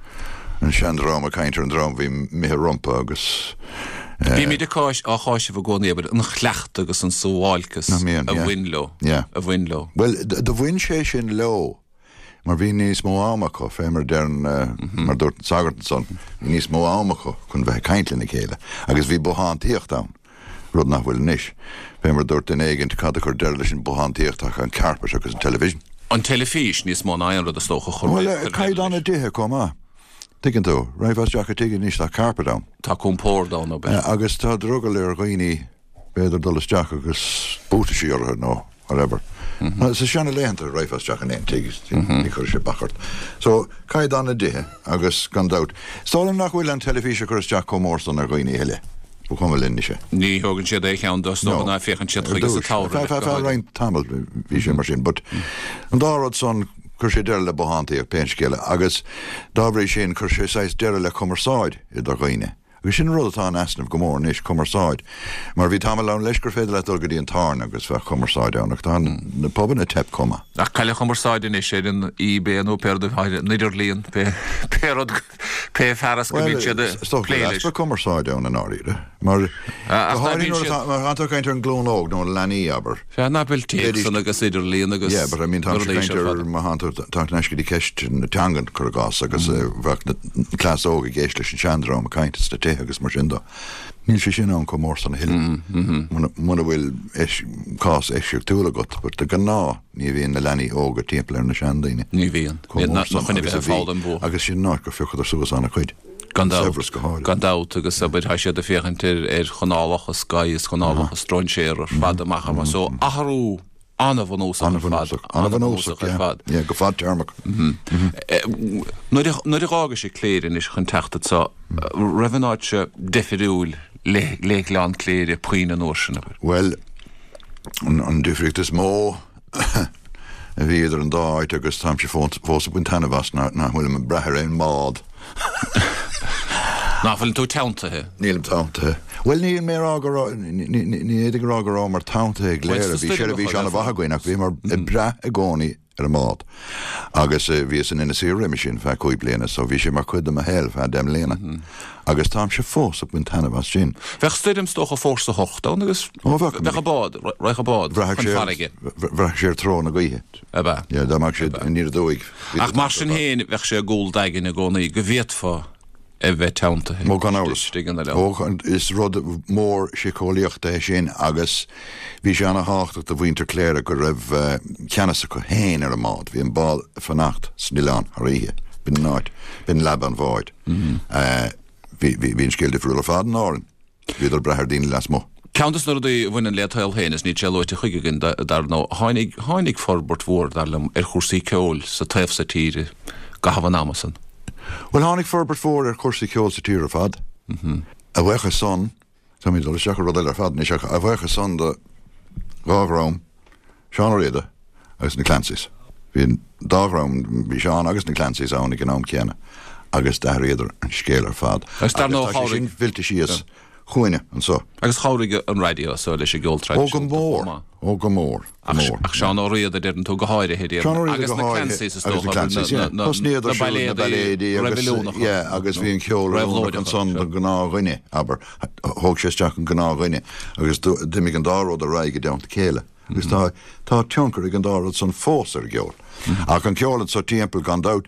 an seandream ag caint ar an dream a bhí imithe rompu agus Bímid ag á cháiseamh i gcónaí abair an chleachtadh agus an suáilceas a bhain leo a bhain leo. Bhuel do bhain sé sin leo mar bhí níos mó ama acu, fé mar deireann, mar dúirt an sagart ansan, bhí níos mó ama acu chun bheith ag caint lena chéile agus bhí bothántaíocht ann. Rud nach bhfuil anois. Fé mar dúirt duine éigint, cad a chuir deireadh leis an bothántaíocht ach an carpet agus an television. An teilifís níos mó ná aon rud is dócha a chuir Bhuel, caighdeán na dtithe chomh maith. Tuigeann tú, raghfá isteach i dtigh anois tá carpet ann. Tá compord ann, ab ea? Agus tá drogall ar dhaoine b'fhéidir dul isteach agus buataisí orthu nó whatever. Sa seana-laethanta raghfá isteach in aon tigh, ní chuirfeadh sé bac ort. So, caighdeán na dtithe agus gan dabht, is dóigh liom nach bhfuil an teilifís ag cur isteach chomh mór san ar dhaoine a thuilleadh. Ba chuma linn anois é. Ní thógann siad aon cheann de, is dócha ná féachann siad chuige sa tsamhradh. Feadh feadh roinnt tamaill bhí sé mar sin, but an dá rud san, chuir sé deireadh le bothántaíocht, pé scéal é, agus dá bhrí sin chuir sé saghas deireadh le cumarsáid idir dhaoine. Agus sin an rud atá in easnamh go mór anois, cumarsáid. Mar bhí tamall ann leis gur féidir leat dul go dtí an tábhairne agus bheadh cumarsáid ann, ach tá na pubanna ag teip chomh maith. Ach cailleadh cumarsáid anois ar an eBay nó pé rud atá ar an idirlíon, pé pé rud, pé fearas go mbíonn siad ag plé leis. Is dócha go bhfuil easpa cumarsáide ann i ndáiríre, mar go háirithe nuair atá, má tá tú ag caint ar an nglúin óg nó na leanaí, abair. Sea, ná fuil téacsanna agus idirlíon agus Yeah, but I mean táimse ag caint ar, má thánn tú ag teacht ar ais go dtí ceist na teangan, cuir i gcás, agus bheadh na cleas óg ag éist leis an seandream ag caint sna tithe agus mar sin de. Níl sé sin ann chomh mór san a thuilleadh. Muna bhfuil cás eisceachtúil agat, but de ghnáth ní bhíonn na leanaí óga timpeall ar na seandaoine. Ní bhíonn. Chomh mór san agus a bhí. Agus sin an áit gur phiocadar suas an-chuid. Gan dabht. Gan dabht agus abair tá siad ag féachaint ar ar chanálacha Sky is canálacha stróinséar ar fad amach amach. So athrú an-bhunúsach ar fad. An-bhunúsach ar fad. Yeah, go fadtéarmach. Nuair a nuair a dh'fhágais Cléire anois chun teacht anso, raibh an áit seo difriúil le le Gleann Cléire puinn an uair sin, abair? Bhuel, an difríocht is mó a bhí idir an dá áit agus táimse fós ag baint taitneamh as ná nach bhfuilim ag brath ar aon mbád. Nach bhfuil tú teanntaithe? Nílim teanntaithe. Bhuel, níl mé ag rá go raibh, ní fhéadfainn a rá go rabhamar teanntaithe i gCléire, bhí seirbhís an-mhaith againn ach bhíomar ag brath i gcónaí ar an mbád. Agus bhíos in Inis Oírr roimhe sin feadh cúig bliana so bhí sé mar chuid de mo shaol feadh deich mbliana. Agus táimse fós ag baint taitneamh as sin. Bheadh stoirm is dócha fórsa hocht ann agus Ó bheadh. bheadh an bád, raghadh an bád Bhraithfeadh chun sé, farraige. bhraithfeadh sé ar treo na gaoithe. Ab ea? Yeah, dá mbeadh sé aniar aduaidh. Ach mar sin féin bheadh sé i gcúl d'aigne i gcónaí go bhféadfá a bheith teanntaithe Ó gan amhras. istigh in oileán. Ó, is rud mór síceolaíochta é sin agus bhí sé ana-thábhachtach do mhuintir Chléire go raibh ceannas acu féin ar an mbád. Bhí an bád ag fanacht san oileán thar oíche. B'in an áit, b'in leaba an bháid. Bhí, bhí, bhí an scéal difriúil ar fad in Árainn. Bhíodar ag brath ar daoine lasmuigh. Ceann de na rudaí a bhaineann le saol féin is níl sé luaite chuige againn dar ndóigh, tháinig, tháinig forbairt mhór, dar liom, ar chúrsaí ceoil sa taobh so tíre i gcaitheamh an ama san. Bhuel, tháinig forbairt mhór ar chúrsaí ceoil sa tír ar fad. A bhuíochas san, táimid ag dul isteach i rud eile ar fad anois, ach a bhuíochas san do dhá dhream, Seán Ó Riada agus na Clancys. Bhí an dá dhream, bhí Seán agus na Clancys ann ag an am céanna agus d'athraíodar an scéal ar fad. Agus dar ndóigh Agus tá sé chabhraigh. sin fillte síos chugainne anso. Agus chabhraigh an raidió so leis an gceol Ó go traidisiúnta mór, chomh maith. ó go mór, go Ach mór. ach Seán Ó Riada deireann tú go háirithe déarfainn. Seán Ó Riada Agus go na háirithe, Clancys is agus na dócha, Clancys, na yeah. na Thosnaíodar na siúd na bailéadaí bailéadaí agus reibiliúnacha. yeah, agus bhí an ceol oiriúnach Réabhlóideacha, ansan sure. don gnáthdhuine, abair. Thóg sé isteach an gnáthdhuine agus d'imigh an dá rud ar aghaidh i dteannta a chéile. Agus tá tá tionchar ag an dá rud san fós ar an gceol. Ach an ceol anso timpeall gan dabht,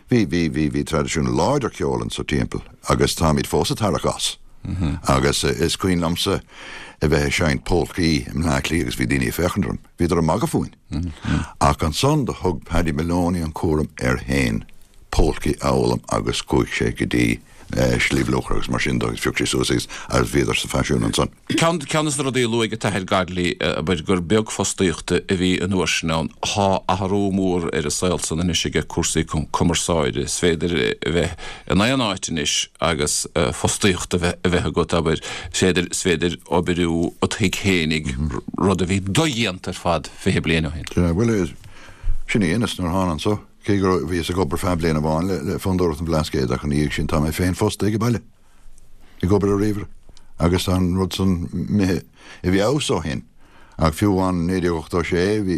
bhí bhí bhí bhí traidisiún láidir ceoil anso timpeall agus táimid fós ag tarrac as. Agus is cuimhin liomsa a bheith ag seinnt polcaí i mBleá Cliath agus bhí daoine ag féachaint orm. Bhíodar ag magadh fúinn. Ach ansan do thug Paddy Moloney an cúram air féin polcaí a fhoghlaim agus chuaigh sé go dtí Sliabh Luachra agus mar sin de agus phioc sé suas agus agus bhíodar sa faisiún ansan. Ceann ceann de na rudaí a luaigh an tAthair Godley abair gur beag fostaíochta a bhí an uair sin ann. Tá athrú mór ar an saol san anois aige cúrsaí cumarsáide. Is féidir a bheith in aon áit anois agus fostaíocht a bheith a bheith agat abair. Is féidir is féidir oibriú ó do thigh fhéinig rud a bhí dodhéanta ar fad fiche bliain ó shin. Bhuel sin é anois nuair a thána anso. Cé go bhíos ag obair feadh bliain amháin le le Fondúireacht an Bhlascaoid ach ina dhiaidh sin tá mé féin fostaithe ag baile. Ag obair ar ríomhaire. Agus tá an rud san imithe i bhfeabhas ó shin. Ach fiú amháin naoi déag ochtó sé bhí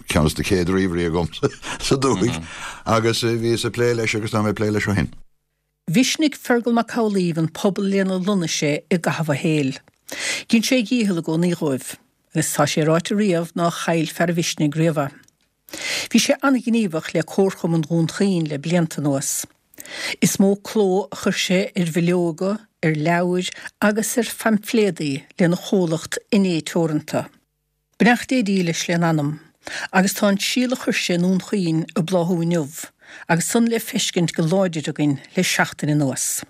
ceann de na chéad ríomhairí agam sa dúthaigh agus bhíos ag plé leis agus tá mé ag plé leis ó shin. Mhisnigh Fergal Mac Amhlaoibh an pobal lena lonnaigh sé i gcaitheamh a shaoil. Dhein sé a dhícheall i gcónaí dhóibh, agus tá sé ráite riamh ná chaill fear an mhisnigh riamh é. Bhí sé an-ghníomhach le Comharchumann Dhún Chaoin le blianta anuas. Is mó cló a chuir sé ar bhileoga, ar leabhair agus ar phaimfléadaí lena chomhlacht Inné Teoranta. Beannacht Dé dílis lena anam, agus tá an síol a chuir sé i nDún Chaoin ag bláthú inniu, agus san le feiscint go láidir againn le seachtain anuas.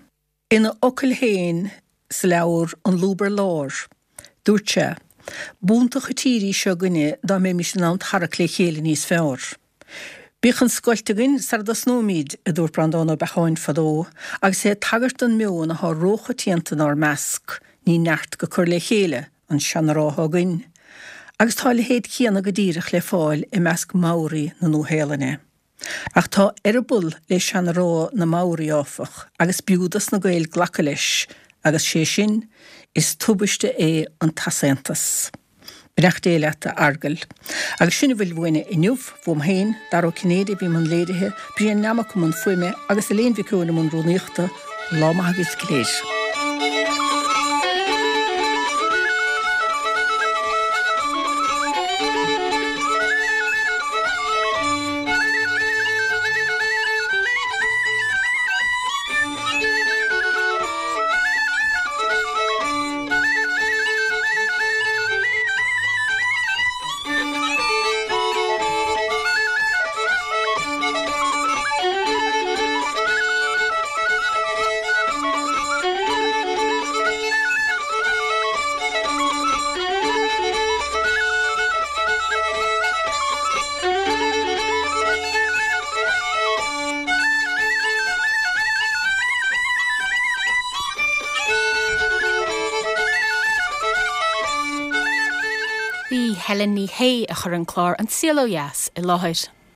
Ina fhocail féin sa leabhar An Lúb ar Lár, dúirt sé, B'iontach an tír í seo againne dá mbeimis in ann tarrac le chéile níos fearr. Bíodh an scoilt againn sara dtosnóimid, a dúirt Breandán Ó Beacháin fadó, agus é ag tagairt don meon atá róchoitianta inár measc, ní neart go cur le chéile an seanrá atá againn. Agus tá a leithéid céanna go díreach le fáil i measc Maori na Nua-Shéalainne. Ach tá eireaball le seanrá na Maori, áfach, agus b'fhiú dos na Gaeil glacadh leis, agus sé sin, is tubaiste é an t-easaontas. Beannacht Dé leat, a Fheargail. Agus sin a bhfuil uainne inniu, uaim féin, Dara Ó Cinnéide a bhí i mbun léirithe, Brian Nammock i mbun fuaime agus Elaine Mhic Eoin i mbun rúnaíochta. Lá maith agaibh go léir. B'í Helen Ní Shé a chuir an clár An Saol Ó Dheas i láthair.